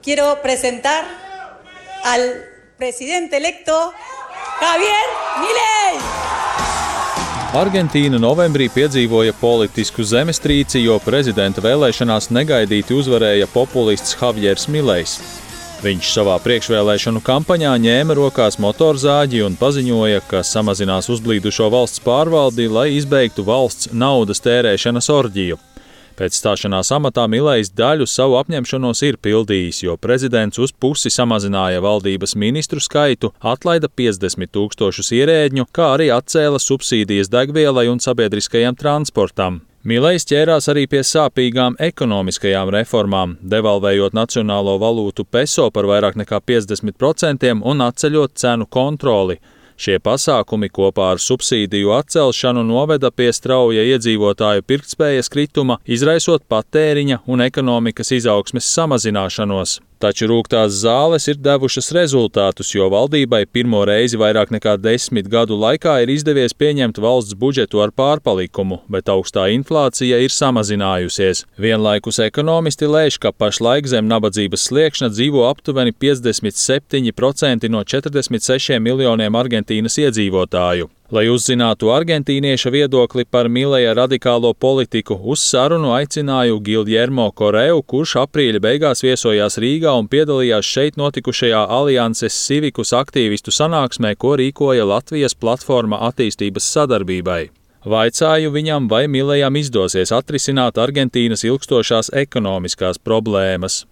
quiero presentar al presidente electo Javier Milei. Argentīna novembrī piedzīvoja politisku zemestrīci, jo prezidenta vēlēšanās negaidīti uzvarēja populists Javiers Milejs. Viņš savā priekšvēlēšanu kampaņā ņēma rokās motorzāģi un paziņoja, ka samazinās uzblīdušo valsts pārvaldi, lai izbeigtu valsts naudas tērēšanas orģiju. Pēc stāšanās amatā Milejs daļu savu apņemšanos ir pildījis, jo prezidents uz pusi samazināja valdības ministru skaitu, atlaida 50 000 ierēdņu, kā arī atcēla subsīdijas degvielai un sabiedriskajam transportam. Milejs ķērās arī pie sāpīgām ekonomiskajām reformām, devalvējot nacionālo valūtu peso par vairāk nekā 50% un atceļot cenu kontroli. Šie pasākumi kopā ar subsīdiju atcelšanu noveda pie strauja iedzīvotāju pirktspējas krituma, izraisot patēriņa un ekonomikas izaugsmes samazināšanos. Taču rūgtās zāles ir devušas rezultātus, jo valdībai pirmo reizi vairāk nekā 10 gadu laikā ir izdevies pieņemt valsts budžetu ar pārpalikumu, bet augstā inflācija ir samazinājusies. Vienlaikus ekonomisti lēš, ka pašlaik zem nabadzības sliekšņa dzīvo aptuveni 57% no 46 miljoniem Argentīnas iedzīvotāju. Lai uzzinātu argentīnieša viedokli par Mileja radikālo politiku, uz sarunu aicināju Giljermo Correu, kurš aprīļa beigās viesojās Rīgā un piedalījās šeit notikušajā Alianses Civicus aktīvistu sanāksmē, ko rīkoja Latvijas platforma attīstības sadarbībai. Vaicāju viņam, vai Milejam izdosies atrisināt Argentīnas ilgstošās ekonomiskās problēmas.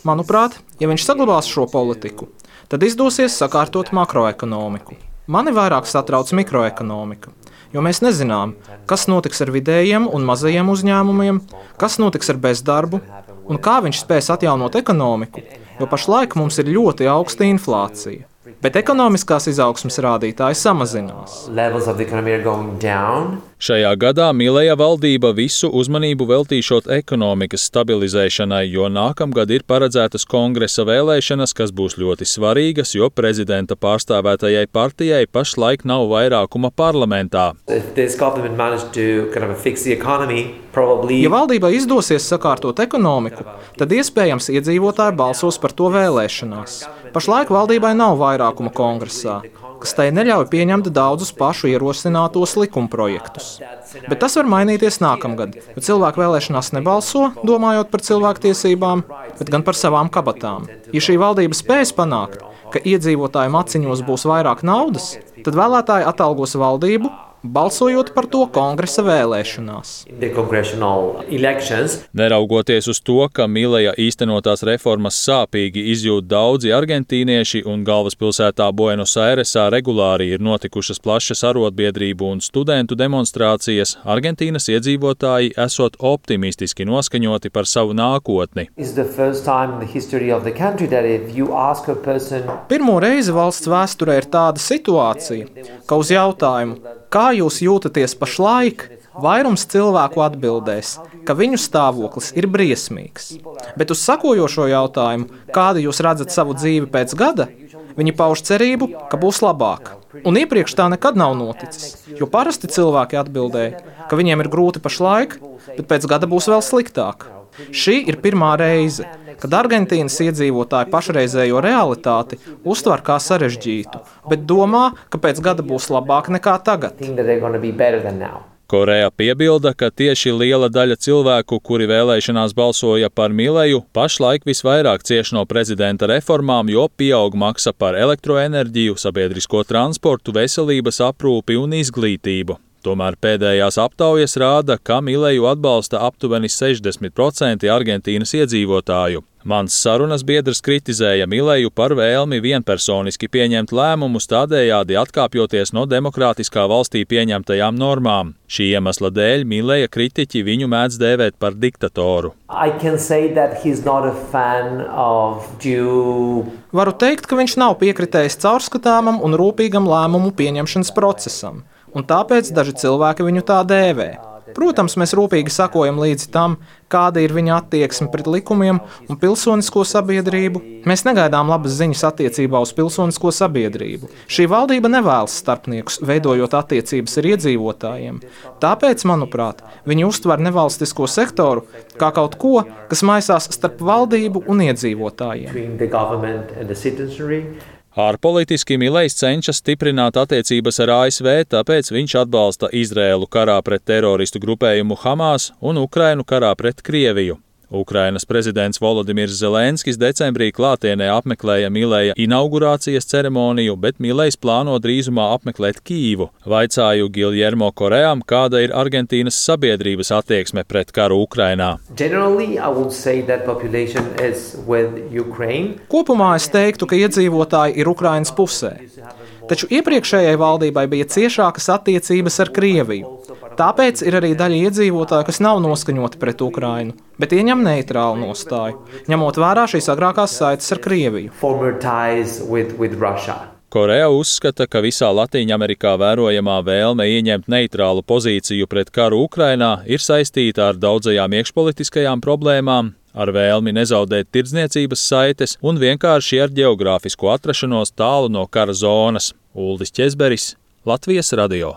Manuprāt, ja viņš saglabās šo politiku, tad izdosies sakārtot makroekonomiku. Mani vairāk satrauc mikroekonomika, jo mēs nezinām, kas notiks ar vidējiem un mazajiem uzņēmumiem, kas notiks ar bezdarbu un kā viņš spēs atjaunot ekonomiku, jo pašlaik mums ir ļoti augsta inflācija. Bet ekonomiskās izaugsmes rādītāji samazinās. Šajā gadā Mileja valdība visu uzmanību veltīšot ekonomikas stabilizēšanai, jo nākamgad ir paredzētas kongresa vēlēšanas, kas būs ļoti svarīgas, jo prezidenta pārstāvētajai partijai pašlaik nav vairākuma parlamentā. Ja valdībai izdosies sakārtot ekonomiku, tad iespējams iedzīvotāji balsos par to vēlēšanās. Pašlaik valdībai nav vairākuma kongresā, kas tai neļauj pieņemt daudzus pašu ierosinātos likumprojektus. Bet tas var mainīties nākamgad, jo cilvēki vēlēšanās nebalso, domājot par cilvēktiesībām, bet gan par savām kabatām. Ja šī valdība spēs panākt, ka iedzīvotāju maciņos būs vairāk naudas, tad vēlētāji atalgos valdību, balsojot par to kongresa vēlēšanās. Neraugoties uz to, ka Mileja īstenotās reformas sāpīgi izjūt daudzi argentīnieši un galvaspilsētā Buenos Airesā regulāri ir notikušas plašas arotbiedrību un studentu demonstrācijas, Argentīnas iedzīvotāji esot optimistiski noskaņoti par savu nākotni. Pirmo reizi valsts vēsturē ir tāda situācija, ka uz jautājumu, kā jūs jūtaties pašlaik, vairums cilvēku atbildēs, ka viņu stāvoklis ir briesmīgs. Bet uz sakojošo jautājumu, kādu jūs redzat savu dzīvi pēc gada, viņi pauž cerību, ka būs labāk. Un iepriekš tā nekad nav noticis, jo parasti cilvēki atbildēja, ka viņiem ir grūti pašlaik, bet pēc gada būs vēl sliktāk. Šī ir pirmā reize, kad Argentīnas iedzīvotāji pašreizējo realitāti uztver kā sarežģītu, bet domā, ka pēc gada būs labāk nekā tagad. Korea piebilda, ka tieši liela daļa cilvēku, kuri vēlēšanās balsoja par Mileju, pašlaik visvairāk cieš no prezidenta reformām, jo pieaug maksa par elektroenerģiju, sabiedrisko transportu, veselības aprūpi un izglītību. Tomēr pēdējās aptaujas rāda, ka Mileju atbalsta aptuveni 60% Argentīnas iedzīvotāju. Mans sarunas biedrs kritizēja Mileju par vēlmi vienpersoniski pieņemt lēmumus, tādējādi atkāpjoties no demokrātiskā valstī pieņemtajām normām. Šī iemesla dēļ Mileja kritiķi viņu mēdz dēvēt par diktatoru. Varu teikt, ka viņš nav piekritējis caurskatāmam un rūpīgam lēmumu pieņemšanas procesam, un tāpēc daži cilvēki viņu tā dēvē. Protams, mēs rūpīgi sakojam līdzi tam, kāda ir viņa attieksme pret likumiem un pilsonisko sabiedrību. Mēs negaidām labas ziņas attiecībā uz pilsonisko sabiedrību. Šī valdība nevēlas starpniekus, veidojot attiecības ar iedzīvotājiem. Tāpēc, manuprāt, viņi uztver nevalstisko sektoru kā kaut ko, kas maisās starp valdību un iedzīvotājiem. Ārpolitiski Milejs cenšas stiprināt attiecības ar ASV, tāpēc viņš atbalsta Izraēlu karā pret teroristu grupējumu Hamas un Ukrainu karā pret Krieviju. Ukrainas prezidents Volodimirs Zelenskis decembrī klātienē apmeklēja Mileja inaugurācijas ceremoniju, bet Milejs plāno drīzumā apmeklēt Kīvu. Vaicāju Giljermo Koream, kāda ir Argentīnas sabiedrības attieksme pret karu Ukrainā. Kopumā es teiktu, ka iedzīvotāji ir Ukrainas pusē. Taču iepriekšējai valdībai bija ciešākas attiecības ar Krieviju. Tāpēc ir arī daļa iedzīvotāju, kas nav noskaņoti pret Ukrainu, bet ieņem neitrālu nostāju, ņemot vērā šīs agrākās saites ar Krieviju. Korea uzskata, ka visā Latīņamerikā vērojamā vēlme ieņemt neitrālu pozīciju pret karu Ukrainā ir saistīta ar daudzajām iekšpolitiskajām problēmām, ar vēlmi nezaudēt tirdzniecības saites un vienkārši ar ģeogrāfisku atrašanos tālu no kara zonas. Uldis Ķezberis, Latvijas radio.